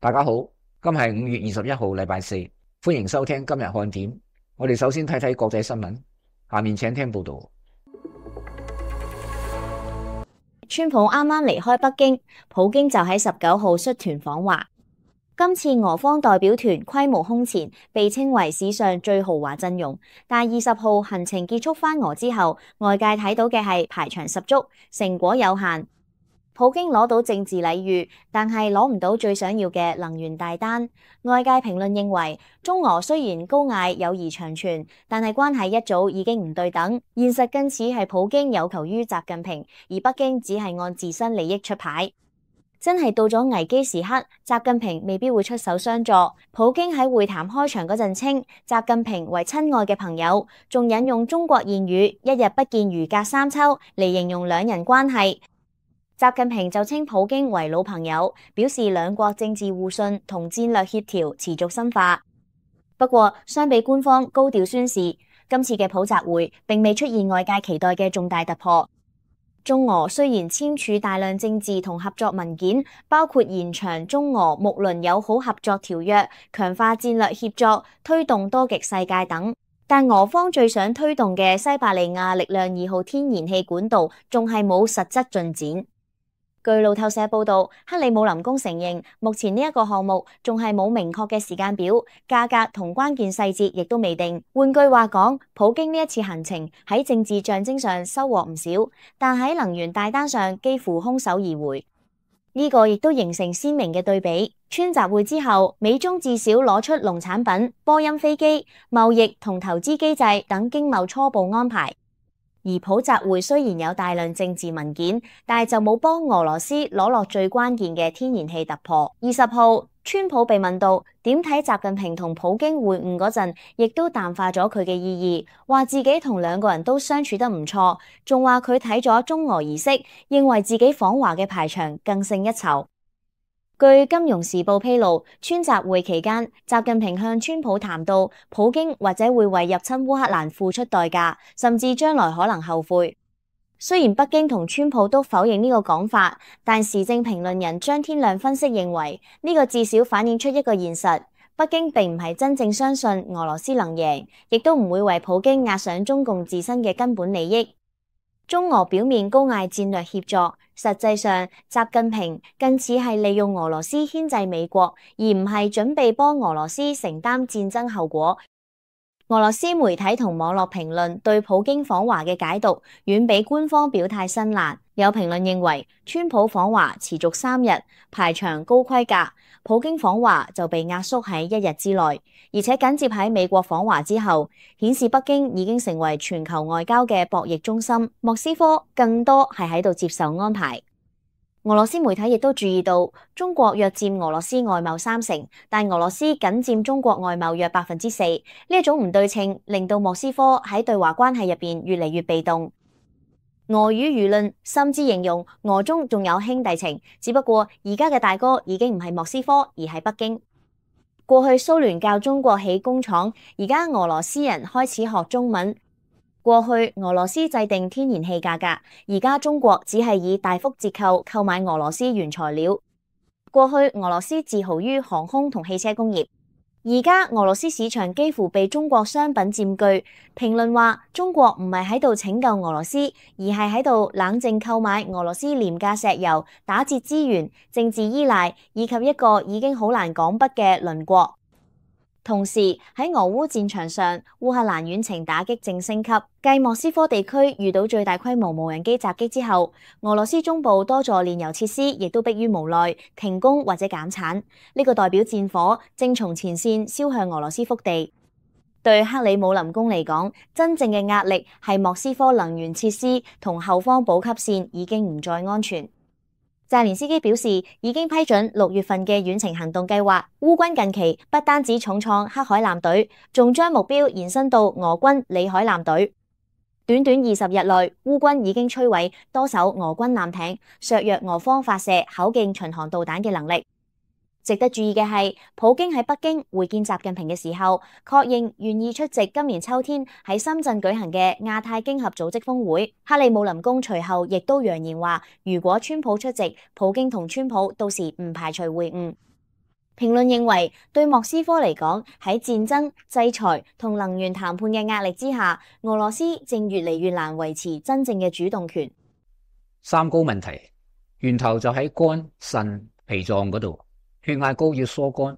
大家好，今日係5月21號，禮拜四，歡迎收聽今日看點。我哋首先睇睇國際新聞，下面請聽報道。川普啱啱離開北京，普京就喺19號率團訪華。今次俄方代表團規模空前，被稱為史上最豪華陣容。但20號行程結束返俄之後，外界睇到嘅係排場十足，成果有限。普京攞到政治禮遇，但係攞唔到最想要嘅能源大單。外界評論認為，中俄雖然高嗌友誼長存，但係關係一早已經唔對等。現實更似係普京有求於習近平，而北京只係按自身利益出牌。真係到咗危機時刻，習近平未必會出手相助。普京喺會談開場嗰陣稱習近平為親愛嘅朋友，仲引用中國諺語一日不見如隔三秋嚟形容兩人關係。習近平就稱普京為老朋友，表示兩國政治互信同戰略協調持續深化。不過，相比官方高調宣示，今次嘅普習會並未出現外界期待嘅重大突破。中俄雖然簽署大量政治同合作文件，包括延長中俄睦鄰友好合作條約、強化戰略協作、推動多極世界等，但俄方最想推動嘅西伯利亞力量2號天然氣管道仲係冇實質進展。據路透社報道，克里姆林宮承認，目前呢一個項目仲係冇明確嘅時間表，價格同關鍵細節亦都未定。換句話講，普京呢一次行程喺政治象徵上收穫唔少，但喺能源大單上幾乎空手而回。呢個亦都形成鮮明嘅對比。川習會之後，美中至少攞出農產品、波音飛機、貿易同投資機制等經貿初步安排。而普習會雖然有大量政治文件，但係就冇幫俄羅斯攞落最關鍵嘅天然氣突破。20號，川普被問到點睇習近平同普京會晤嗰陣，亦都淡化咗佢嘅意義，話自己同兩個人都相處得唔錯，仲話佢睇咗中俄儀式，認為自己訪華嘅排場更勝一籌。據《金融時報》披露，川習會期間，習近平向川普談到，普京或者會為入侵烏克蘭付出代價，甚至將來可能後悔。雖然北京同川普都否認呢個講法，但時政評論人張天亮分析認為，呢個至少反映出一個現實：北京並唔係真正相信俄羅斯能贏，亦都唔會為普京押上中共自身嘅根本利益。中俄表面高嗌戰略協作，實際上習近平更似係利用俄羅斯牽制美國，而唔係準備幫俄羅斯承擔戰爭後果。俄羅斯媒體同網絡評論對普京訪華嘅解讀遠比官方表態辛辣。有評論認為，川普訪華持續3日，排場高規格，普京訪華就被壓縮喺1日之內，而且緊接喺美國訪華之後，顯示北京已經成為全球外交嘅博弈中心，莫斯科更多係喺度接受安排。俄羅斯媒體亦都注意到，中國約佔俄羅斯外貿30%，但俄羅斯僅佔中國外貿約4%。呢一種唔對稱，令到莫斯科喺對華關係入邊越嚟越被動。俄語輿論甚至形容俄中仲有兄弟情，只不過而家嘅大哥已經唔係莫斯科，而係北京。過去蘇聯教中國起工廠，而家俄羅斯人開始學中文。過去俄羅斯制定天然氣價格，而家中國只係以大幅折扣購買俄羅斯原材料。過去俄羅斯自豪於航空同汽車工業，而家俄羅斯市場幾乎被中國商品佔據。評論話，中國唔係喺度拯救俄羅斯，而係喺度冷靜購買俄羅斯廉價石油、打折資源、政治依賴，以及一個已經好難講不嘅鄰國。同時喺俄烏戰場上，烏克蘭遠程打擊正升級。繼莫斯科地區遇到最大規模無人機襲擊之後，俄羅斯中部多座煉油設施亦都迫於無奈停工或者減產。呢個代表戰火正從前線燒向俄羅斯腹地。對克里姆林宮嚟講，真正嘅壓力係莫斯科能源設施同後方補給線已經唔再安全。澤連斯基表示，已經批准6月份嘅遠程行動計劃。烏軍近期不單止重創黑海艦隊，仲將目標延伸到俄軍里海艦隊。短短20日內，烏軍已經摧毀多艘俄軍艦艇，削弱俄方發射口徑巡航導彈嘅能力。值得注意嘅係，普京喺北京會見習近平嘅時候，確認願意出席今年秋天喺深圳舉行嘅亞太經合組織峰會。克里姆林宮隨後亦都揚言話，如果川普出席，普京同川普到時唔排除會晤。評論認為，對莫斯科嚟講，喺戰爭、制裁同能源談判嘅壓力之下，俄羅斯正越嚟越難維持真正嘅主動權。三高問題源頭就喺肝、腎、脾臟嗰度。血壓高要疏肝，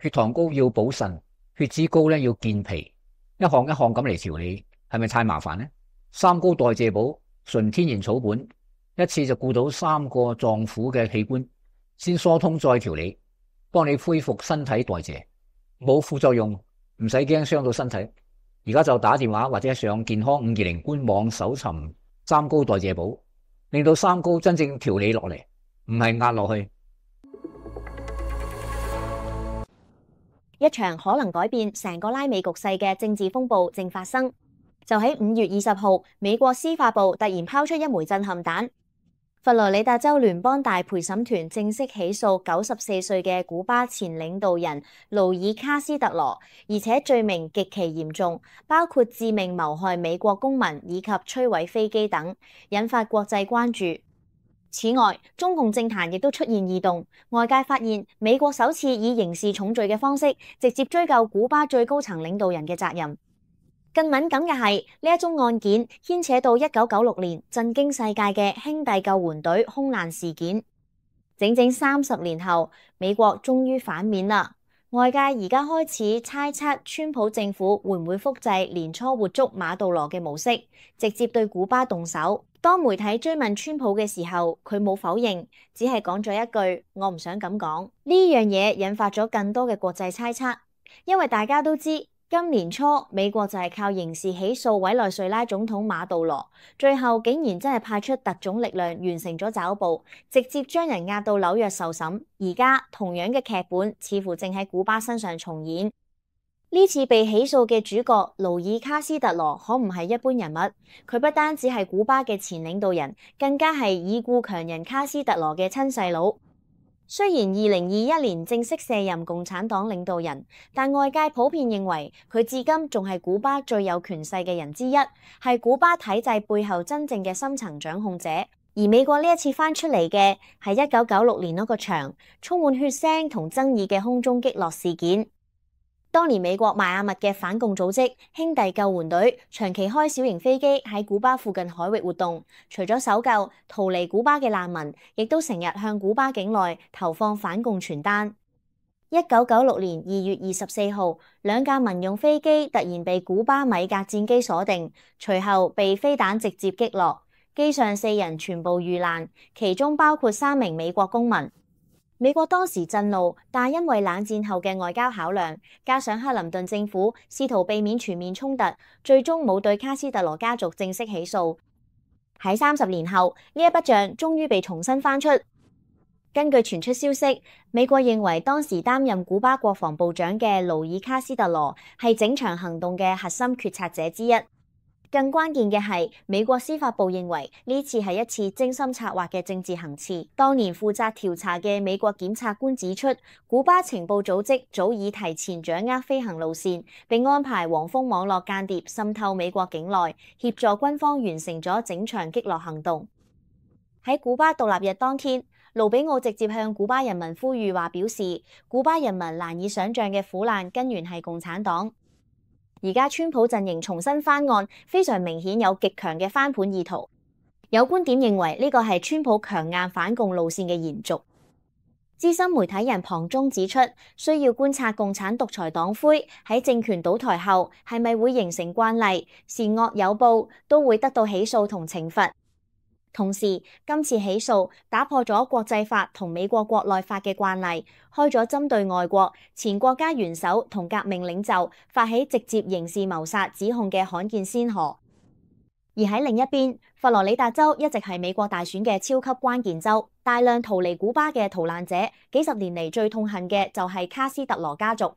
血糖高要補腎，血脂高咧要健脾，一項一項咁嚟調理，係咪太麻煩呢？三高代謝寶純天然草本，一次就顧到3個臟腑嘅器官，先疏通再調理，幫你恢復身體代謝，冇副作用，唔使驚傷到身體。而家就打電話或者上健康520官網搜尋三高代謝寶，令到三高真正調理落嚟，唔係壓落去。一場可能改變成個拉美局勢嘅政治風暴正發生。就喺5月20號，美國司法部突然拋出一枚震撼彈，佛羅里達州聯邦大陪審團正式起訴94歲嘅古巴前領導人勞爾卡斯特羅，而且罪名極其嚴重，包括致命謀害美國公民以及摧毀飛機等，引發國際關注。此外，中共政壇亦都出現異動，外界發現美國首次以刑事重罪嘅方式直接追究古巴最高層領導人嘅責任。更敏感嘅係呢一宗案件牽扯到1996年震驚世界嘅兄弟救援隊空難事件。整整30年後，美國終於反面啦。外界而家開始猜測川普政府會唔會複製年初活捉馬杜羅嘅模式，直接對古巴動手。當媒體追問川普嘅時候，佢冇否認，只係講咗一句：我唔想咁講。呢樣嘢引發咗更多嘅國際猜測，因為大家都知今年初美國就係靠刑事起訴委內瑞拉總統馬杜羅，最後竟然真係派出特種力量完成咗抓捕，直接將人押到紐約受審。而家同樣嘅劇本似乎正喺古巴身上重演。呢次被起訴嘅主角勞爾卡斯特羅可唔係一般人物，佢不單只係古巴嘅前領導人，更加係已故強人卡斯特羅嘅親細佬。雖然2021年正式卸任共產黨領導人，但外界普遍認為佢至今仲係古巴最有權勢嘅人之一，係古巴體制背後真正嘅深層掌控者。而美國呢一次翻出嚟嘅係1996年嗰個場充滿血腥同爭議嘅空中擊落事件。當年美國邁阿密嘅反共組織兄弟救援隊長期開小型飛機喺古巴附近海域活動，除咗搜救逃離古巴嘅難民，亦都成日向古巴境內投放反共傳單。1996年2月24號，兩架民用飛機突然被古巴米格戰機鎖定，隨後被飛彈直接擊落，機上4人全部遇難，其中包括3名美國公民。美國當時震怒，但因為冷戰後嘅外交考量，加上克林頓政府試圖避免全面衝突，最終冇對卡斯特羅家族正式起訴。喺30年後，呢一筆賬終於被重新翻出。根據傳出消息，美國認為當時擔任古巴國防部長嘅勞爾卡斯特羅係整場行動嘅核心決策者之一。更關鍵嘅係，美國司法部認為呢次係一次精心策劃嘅政治行刺。當年負責調查嘅美國檢察官指出，古巴情報組織早已提前掌握飛行路線，並安排黃蜂網絡間諜滲透美國境內，協助軍方完成咗整場擊落行動。喺古巴獨立日當天，盧比奧直接向古巴人民呼籲話，表示古巴人民難以想象嘅苦難根源係共產黨。而家川普陣營重新翻案，非常明顯有極強嘅翻盤意圖。有觀點認為呢個係川普強硬反共路線嘅延續。資深媒體人龐中指出，需要觀察共產獨裁黨魁喺政權倒台後係咪會形成慣例，善惡有報，都會得到起訴同懲罰。同時，今次起訴打破咗國際法同美國國內法嘅慣例，開咗針對外國前國家元首同革命領袖發起直接刑事謀殺指控嘅罕見先河。而喺另一邊，佛羅里達州一直係美國大選嘅超級關鍵州，大量逃離古巴嘅逃難者，幾十年嚟最痛恨嘅就係卡斯特羅家族。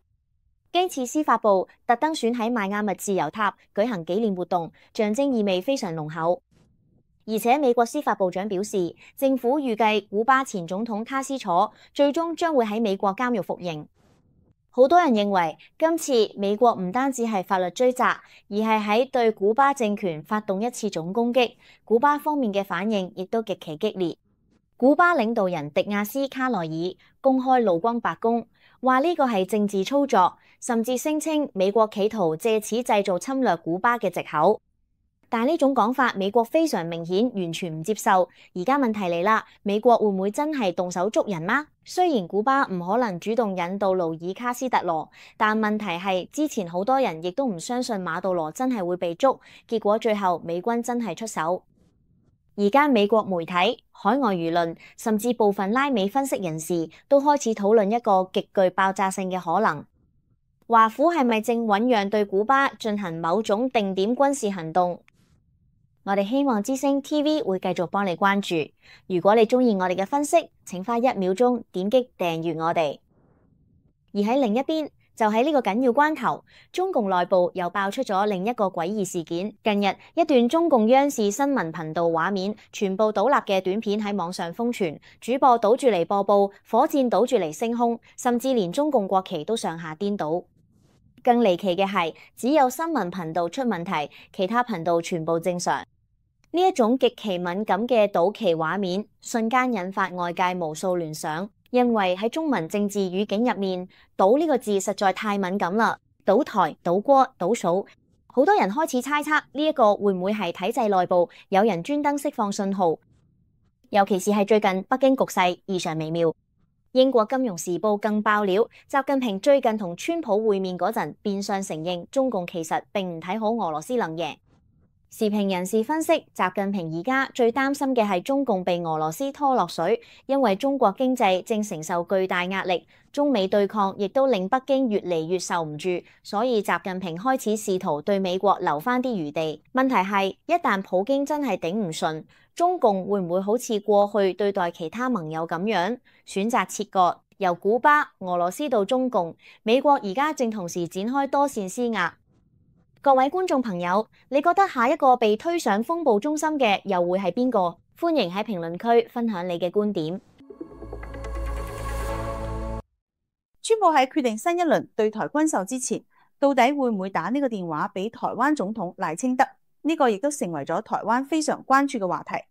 基次司法部特登選喺邁阿密自由塔舉行紀念活動，象徵意味非常濃厚。而且美國司法部長表示，政府預計古巴前總統卡斯楚最終將會喺美國監獄服刑。好多人認為今次美國唔單止係法律追責，而係喺對古巴政權發動一次總攻擊。古巴方面嘅反應亦都極其激烈。古巴領導人迪亞斯卡內爾公開怒轟白宮，話呢個係政治操作，甚至聲稱美國企圖借此製造侵略古巴嘅藉口。但呢種講法，美國非常明顯完全唔接受。而家問題嚟啦，美國會唔會真係動手捉人嗎？雖然古巴唔可能主動引渡勞爾卡斯特羅，但問題係之前好多人亦都唔相信馬杜羅真係會被捉，結果最後美軍真係出手。而家美國媒體、海外輿論，甚至部分拉美分析人士都開始討論一個極具爆炸性嘅可能。華府係咪正醞釀對古巴進行某種定點軍事行動？我哋希望之聲 TV 會繼續幫你關注。如果你鍾意我哋嘅分析，請花1秒鐘點擊訂閱我哋。而喺另一邊，就喺呢個緊要關頭，中共內部又爆出咗另一個詭異事件。近日，一段中共央視新聞頻道畫面全部倒立嘅短片喺網上瘋傳，主播倒住嚟播報，火箭倒住嚟升空，甚至連中共國旗都上下顛倒。更離奇嘅係，只有新聞頻道出問題，其他頻道全部正常。呢一種極其敏感嘅倒旗畫面，瞬間引發外界無數聯想。因為喺中文政治語境入面，倒呢個字實在太敏感啦，倒台、倒戈、倒數，好多人開始猜測呢一個會唔會係體制內部有人專登釋放信號，尤其是係最近北京局勢異常微妙。英國金融時報更爆料，習近平最近同川普會面嗰陣，變相承認中共其實並唔睇好俄羅斯能贏。時評人士分析，習近平而家最擔心嘅係中共被俄羅斯拖落水，因為中國經濟正承受巨大壓力，中美對抗亦都令北京越嚟越受唔住，所以習近平開始試圖對美國留返啲餘地。問題係，一旦普京真係頂唔順，中共會唔會好似過去對待其他盟友咁樣，選擇切割，由古巴、俄羅斯到中共？美國而家正同時展開多線施壓。各位觀眾朋友，你覺得下一個被推上風暴中心嘅又會係邊個？歡迎喺評論區分享你嘅觀點。川普喺決定新一輪對台軍售之前，到底會唔會打呢個電話俾台灣總統賴清德？呢個亦都成為咗台灣非常關注嘅話題，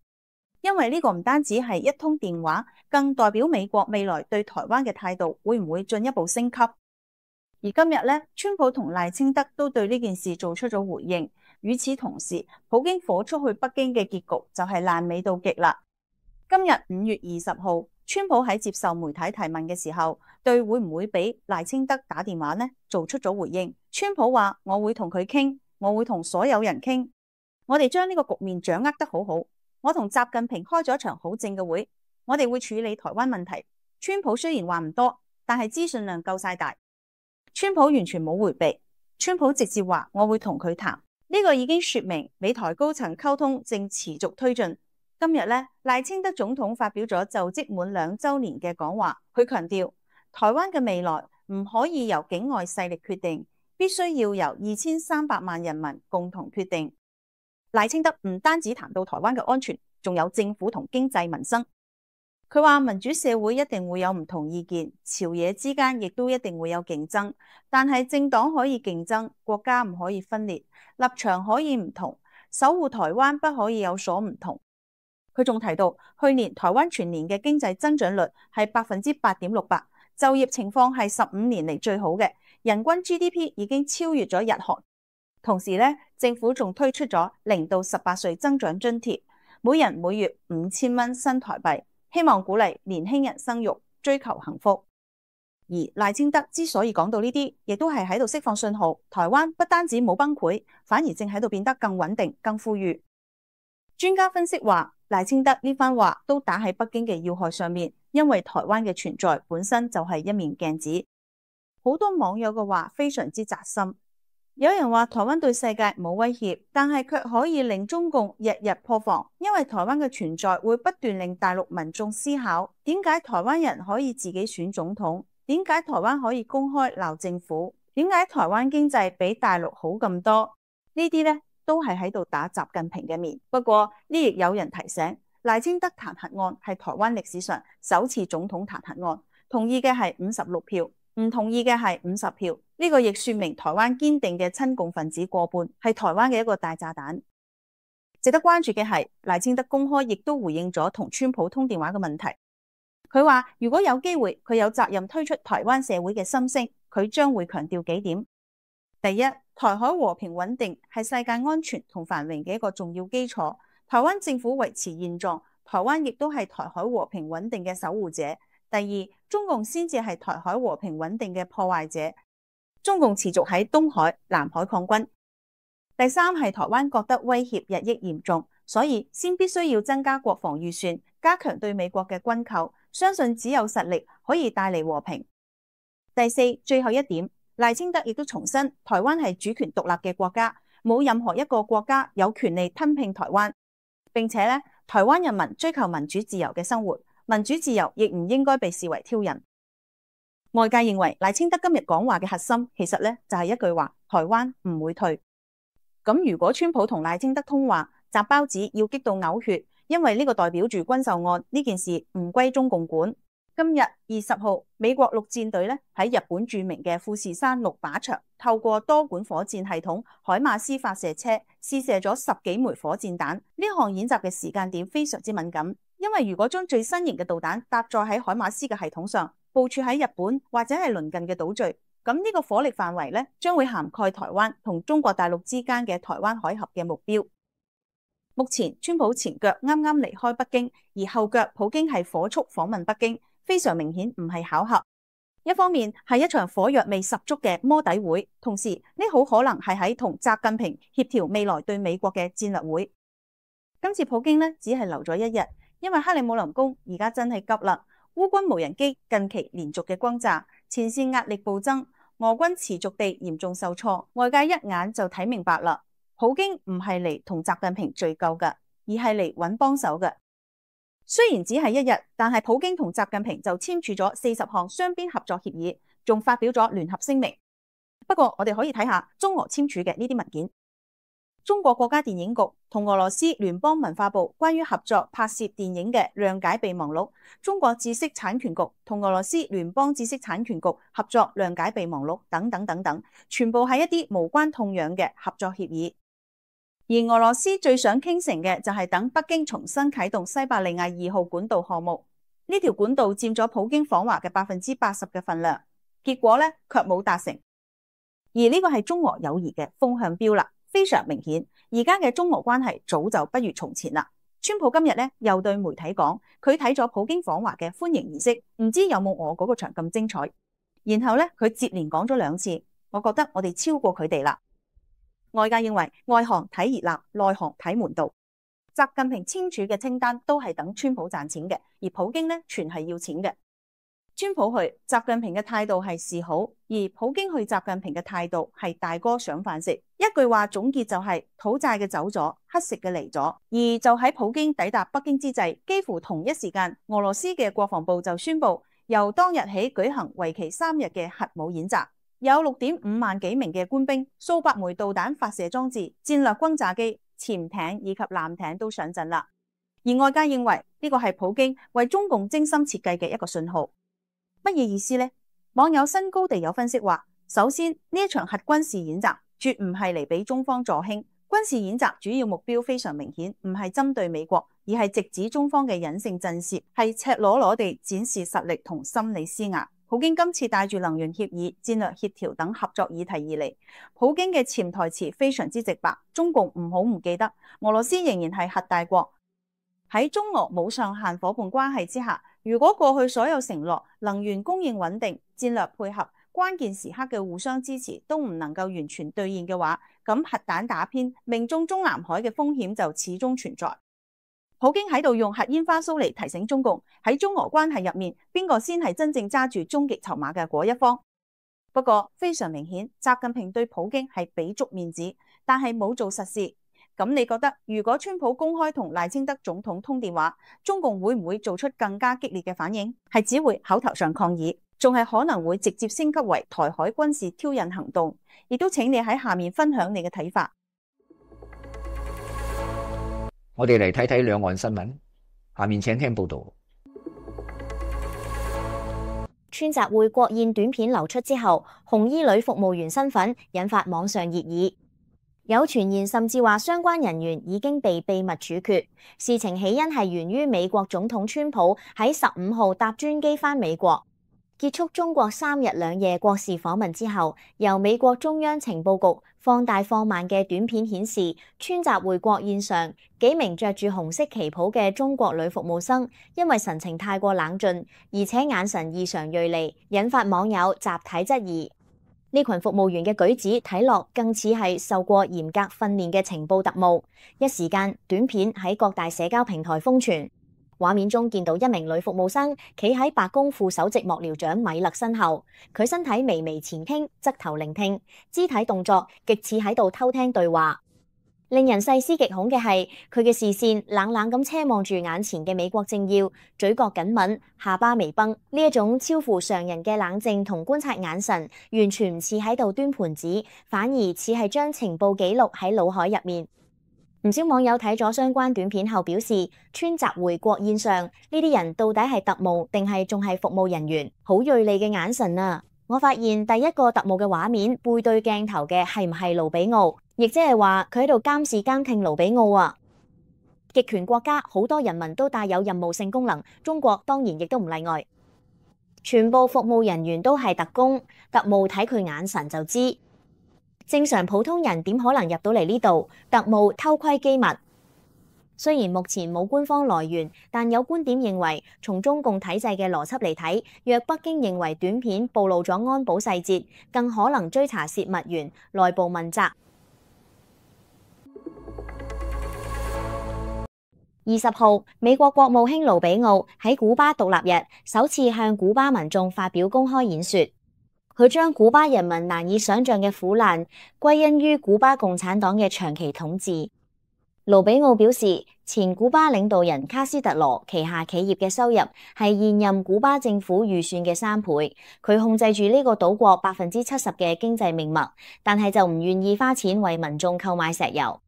因為呢個唔單止係一通電話，更代表美國未來對台灣嘅態度會唔會進一步升級。而今日咧，川普同賴清德都對呢件事做出咗回應。與此同時，普京火速去北京嘅結局就係爛尾到極啦。今日5月20號，川普喺接受媒體提問嘅時候，對會唔會俾賴清德打電話呢，做出咗回應。川普話：我會同佢傾，我會同所有人傾，我哋將呢個局面掌握得好好。我同習近平開咗一場好正嘅會，我哋會處理台灣問題。川普雖然話唔多，但係資訊量夠晒大。川普完全冇迴避，川普直接話我會同佢談，呢個已經說明美台高層溝通正持續推進。今日呢，賴清德總統發表咗就職滿2週年嘅講話，佢強調台灣嘅未來唔可以由境外勢力決定，必須要由2300萬人民共同決定。賴清德唔單止談到台灣嘅安全，仲有政府同經濟民生。佢話民主社會一定會有唔同意見，朝野之間亦都一定會有競爭，但係政黨可以競爭，國家唔可以分裂，立場可以唔同，守護台灣不可以有所唔同。佢仲提到，去年台灣全年嘅經濟增長率係8.68%，就業情況係15年嚟最好嘅，人均 GDP 已經超越咗日韓。同時呢，政府仲推出咗0到18歲增長津貼，每人每月5000蚊新台幣。希望鼓勵年輕人生育，追求幸福。而賴清德之所以講到呢啲，亦都係喺度釋放信號，台灣不單止冇崩潰，反而正喺度變得更穩定、更富裕。專家分析話，賴清德呢番話都打喺北京嘅要害上面，因為台灣嘅存在本身就係一面鏡子。好多網友嘅話非常之扎心。有人話台灣對世界冇威脅，但係卻可以令中共日日破防，因為台灣嘅存在會不斷令大陸民眾思考，點解台灣人可以自己選總統？點解台灣可以公開鬧政府？點解台灣經濟比大陸好咁多？呢啲呢都係喺度打習近平嘅面。不過呢亦有人提醒，賴清德彈劾案係台灣歷史上首次總統彈劾案，同意嘅係56票，唔同意嘅係50票。呢個亦說明台灣堅定嘅親共分子過半，係台灣嘅一個大炸彈。值得關注嘅係賴清德公開亦都回應咗同川普通電話嘅問題。佢話如果有機會，佢有責任推出台灣社會嘅心聲，佢將會強調幾點。第一，台海和平穩定係世界安全同繁榮嘅一個重要基礎，台灣政府維持現狀，台灣亦都係台海和平穩定嘅守護者。第二，中共先至係台海和平穩定嘅破壞者，中共持續喺東海、南海抗軍。第三係台灣覺得威脅日益嚴重，所以先必須要增加國防預算，加強對美國嘅軍購，相信只有實力可以帶嚟和平。第四，最後一點，賴清德亦都重申台灣係主權獨立嘅國家，冇任何一個國家有權利吞併台灣，並且咧，台灣人民追求民主自由嘅生活，民主自由亦唔應該被視為挑釁。外界認為賴清德今日講話嘅核心，其實咧就係一句話：台灣唔會退。咁如果川普同賴清德通話，擲包子要激到嘔血，因為呢個代表住軍售案呢件事唔歸中共管。今日20號，美國陸戰隊咧喺日本著名嘅富士山6靶場，透過多管火箭系統海馬斯發射車試射咗10幾枚火箭彈。呢項演習嘅時間點非常之敏感，因為如果將最新型嘅導彈搭載喺海馬斯嘅系統上，部署喺日本或者係鄰近嘅島嶼，咁呢個火力範圍咧將會涵蓋台灣同中國大陸之間嘅台灣海峽嘅目標。目前川普前腳啱啱離開北京，而後腳普京係火速訪問北京，非常明顯唔係巧合。一方面係一場火藥味十足嘅摸底會，同時呢好可能係喺同習近平協調未來對美國嘅戰略會。今次普京呢只係留咗一日，因為克里姆林宮而家真係急啦。烏軍無人機近期連續嘅轟炸，前線壓力暴增，俄軍持續地嚴重受挫，外界一眼就睇明白啦。普京唔係嚟同習近平敘舊嘅，而係嚟揾幫手嘅。雖然只係一日，但係普京同習近平就簽署咗40項雙邊合作協議，仲發表咗聯合聲明。不過我哋可以睇下中俄簽署嘅呢啲文件。中國國家電影局同俄羅斯聯邦文化部關於合作拍攝電影嘅諒解備忘錄，中國知識產權局同俄羅斯聯邦知識產權局合作諒解備忘錄等等等等，全部係一啲無關痛癢嘅合作協議。而俄羅斯最想傾成嘅就係等北京重新啟動西伯利亞2號管道項目，呢條管道佔咗普京訪華嘅80%嘅份量，結果咧卻冇達成。而呢個係中俄友誼嘅風向標啦。非常明顯，而家嘅中俄關係早就不如從前啦。川普今日咧又對媒體講，佢睇咗普京訪華嘅歡迎儀式，唔知有冇我嗰個場咁精彩。然後咧佢接連講咗2次，我覺得我哋超過佢哋啦。外界認為外行睇熱鬧，內行睇門道。習近平簽署嘅清單都係等川普賺錢嘅，而普京咧全係要錢嘅。川普去，習近平嘅態度係示好，而普京去習近平嘅態度係大哥上飯食。一句話總結就係討債嘅走咗，乞食嘅嚟咗。而就喺普京抵達北京之際，幾乎同一時間，俄羅斯嘅國防部就宣布，由當日起舉行為期3日嘅核武演習，有6.5萬幾名嘅官兵、數百枚導彈發射裝置、戰略轟炸機、潛艇以及艦艇都上陣啦。而外界認為呢個係普京為中共精心設計嘅一個信號。乜嘢意思呢？網友新高地有分析話，首先呢一場核軍事演習絕唔係嚟俾中方助興，軍事演習主要目標非常明顯，唔係針對美國，而係直指中方嘅隱性震懾，係赤裸裸地展示實力同心理施壓。普京今次帶住能源協議、戰略協調等合作議題而嚟，普京嘅潛台詞非常之直白，中共唔好唔記得，俄羅斯仍然係核大國。喺中俄冇上限夥伴關係之下，如果過去所有承諾、能源供應穩定、戰略配合、關鍵時刻嘅互相支持都唔能夠完全兌現嘅話，咁核彈打偏，命中中南海嘅風險就始終存在。普京喺度用核煙花騷嚟提醒中共，喺中俄關係入面，邊個先係真正揸住終極籌碼嘅嗰一方。不過非常明顯，習近平對普京係俾足面子，但係冇做實事。咁你覺得如果川普公開同賴清德總統通電話，中共會唔會做出更加激烈嘅反應？係只會口頭上抗議，仲係可能會直接升級為台海軍事挑釁行動？亦都請你喺下面分享你嘅睇法。我哋嚟睇睇兩岸新聞，下面請聽報道。川習會國宴短片流出之後，紅衣女服務員身份引發網上熱議。有傳言甚至話相關人員已經被秘密處決。事情起因係源於美國總統川普喺15號搭專機返美國，結束中國3日2夜國事訪問之後，由美國中央情報局放大放慢嘅短片顯示，川習會國宴上幾名着住紅色旗袍嘅中國女服務生，因為神情太過冷峻，而且眼神異常銳利，引發網友集體質疑。呢群服務員嘅舉止睇落更似係受過嚴格訓練嘅情報特務。一時間，短片喺各大社交平台瘋傳。畫面中見到一名女服務生企喺白宮副首席幕僚長米勒身後，佢身體微微前傾，側頭聆聽，肢體動作極似喺度偷聽對話。令人細思極恐嘅係，佢嘅視線冷冷咁奢望住眼前嘅美國政要，嘴角緊抿，下巴微繃。呢一種超乎常人嘅冷靜同觀察眼神，完全唔似喺度端盤子，反而似係將情報記錄喺腦海入面。唔少網友睇咗相關短片後表示，川習會國宴上呢啲人到底係特務定係仲係服務人員？好銳利嘅眼神啊！我發現第一個特務嘅畫面背對鏡頭嘅係唔係盧比奧？亦即係話佢喺度監視監聽盧比奧啊！極權國家好多人民都帶有任務性功能，中國當然亦都唔例外。全部服務人員都係特工，特務睇佢眼神就知。正常普通人點可能入到嚟呢度？特務偷窺機密。雖然目前冇官方來源，但有觀點認為，從中共體制嘅邏輯嚟睇，若北京認為短片暴露咗安保細節，更可能追查洩密源，內部問責。20號，美國國務卿盧比奧喺古巴獨立日首次向古巴民眾發表公開演說。佢將古巴人民難以想象嘅苦難歸因於古巴共產黨嘅長期統治。盧比奧表示，前古巴領導人卡斯特羅旗下企業嘅收入係現任古巴政府預算嘅3倍，佢控制住呢個島國70%嘅經濟命脈，但係就唔願意花錢為民眾購買石油。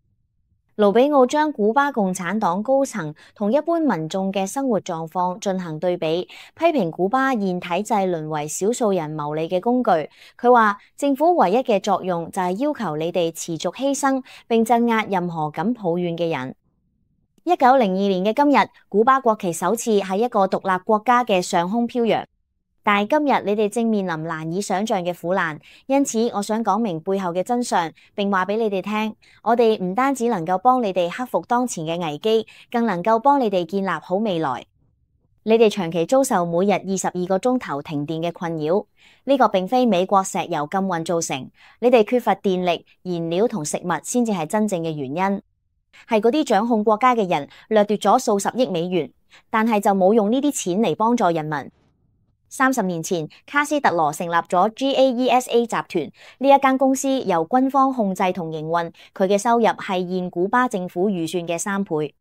盧比奧將古巴共產黨高層同一般民眾嘅生活狀況進行對比，批評古巴現體制淪為少數人牟利嘅工具。佢話政府唯一嘅作用就係要求你哋持續犧牲並鎮壓任何敢抱怨嘅人。1902年嘅今日，古巴國旗首次喺一個獨立國家嘅上空飄揚。但係今日你哋正面臨難以想象嘅苦難，因此我想講明背後嘅真相，並話俾你哋聽，我哋唔單止能夠幫你哋克服當前嘅危機，更能夠幫你哋建立好未來。你哋長期遭受每日22個鐘頭停電嘅困擾，呢個並非美國石油禁運造成，你哋缺乏電力、燃料同食物先至係真正嘅原因，係嗰啲掌控國家嘅人掠奪咗數十億美元，但係就冇用呢啲錢嚟幫助人民。30年前，卡斯特羅成立咗 GAESA 集團，呢一間公司由軍方控制同營運，佢嘅收入係現古巴政府預算嘅3倍。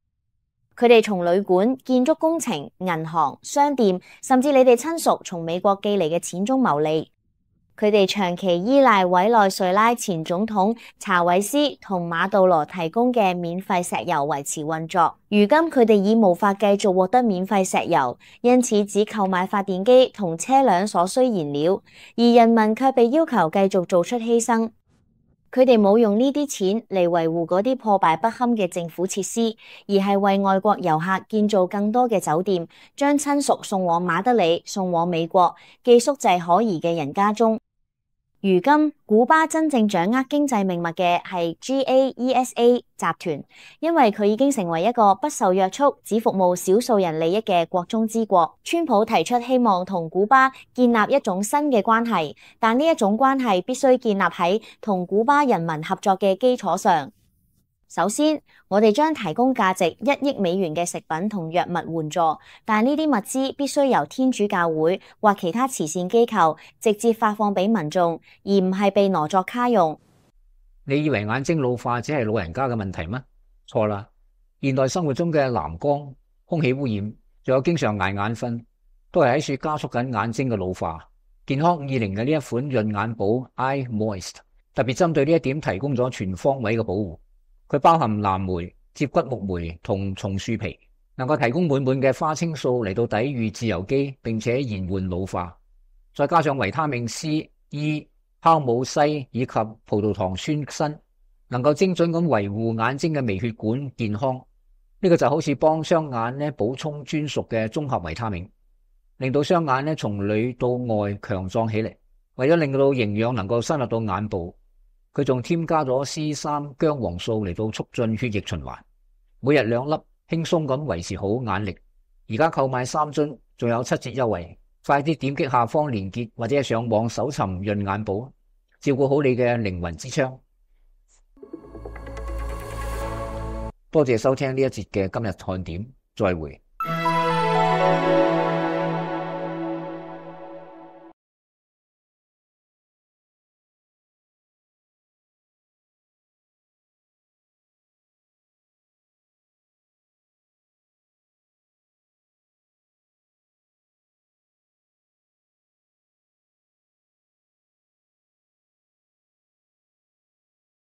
佢哋從旅館、建築工程、銀行、商店，甚至你哋親屬從美國寄嚟嘅錢中牟利。佢哋長期依賴委內瑞拉前總統查韋斯同馬杜羅提供嘅免費石油維持運作。如今佢哋已無法繼續獲得免費石油，因此只購買發電機同車輛所需燃料，而人民卻被要求繼續做出犧牲。佢哋冇用呢啲錢嚟維護嗰啲破敗不堪嘅政府設施，而係為外國遊客建造更多嘅酒店，將親屬送往馬德里、送往美國，寄宿制可疑嘅人家中。如今，古巴真正掌握經濟命脈嘅係 GAESA 集團，因為佢已經成為一個不受約束、只服務少數人利益嘅國中之國。川普提出希望同古巴建立一種新嘅關係，但呢一種關係必須建立喺同古巴人民合作嘅基礎上。首先，我哋將提供價值1億美元嘅食品同藥物援助，但呢啲物資必須由天主教會或其他慈善機構直接發放俾民眾，而唔係被挪作卡用。你以為眼睛老化只係老人家嘅問題嗎？錯啦！現代生活中嘅藍光、空氣污染，仲有經常捱眼瞓，都係喺處加速緊眼睛嘅老化。健康50嘅呢一款潤眼寶 Eye Moist 特別針對呢一點提供咗全方位嘅保護。佢包含藍莓、接骨木莓同松樹皮，能夠提供滿滿嘅花青素嚟到抵禦自由基，並且延緩老化。再加上維他命 C、E、酵母硒以及葡萄糖酸鋅，能夠精準咁維護眼睛嘅微血管健康。呢個就好似幫雙眼咧補充專屬嘅綜合維他命，令到雙眼咧從裏到外強壯起嚟。為咗令到營養能夠深入到眼部，佢仲添加咗 C3 薑黃素嚟到促進血液循環。每日2粒，輕鬆咁維持好眼力。而家購買3樽，仲有7折優惠。快啲點擊下方連結，或者係上網搜尋潤眼寶，照顧好你嘅靈魂之窗。多謝收聽呢一節嘅今日看點，再會。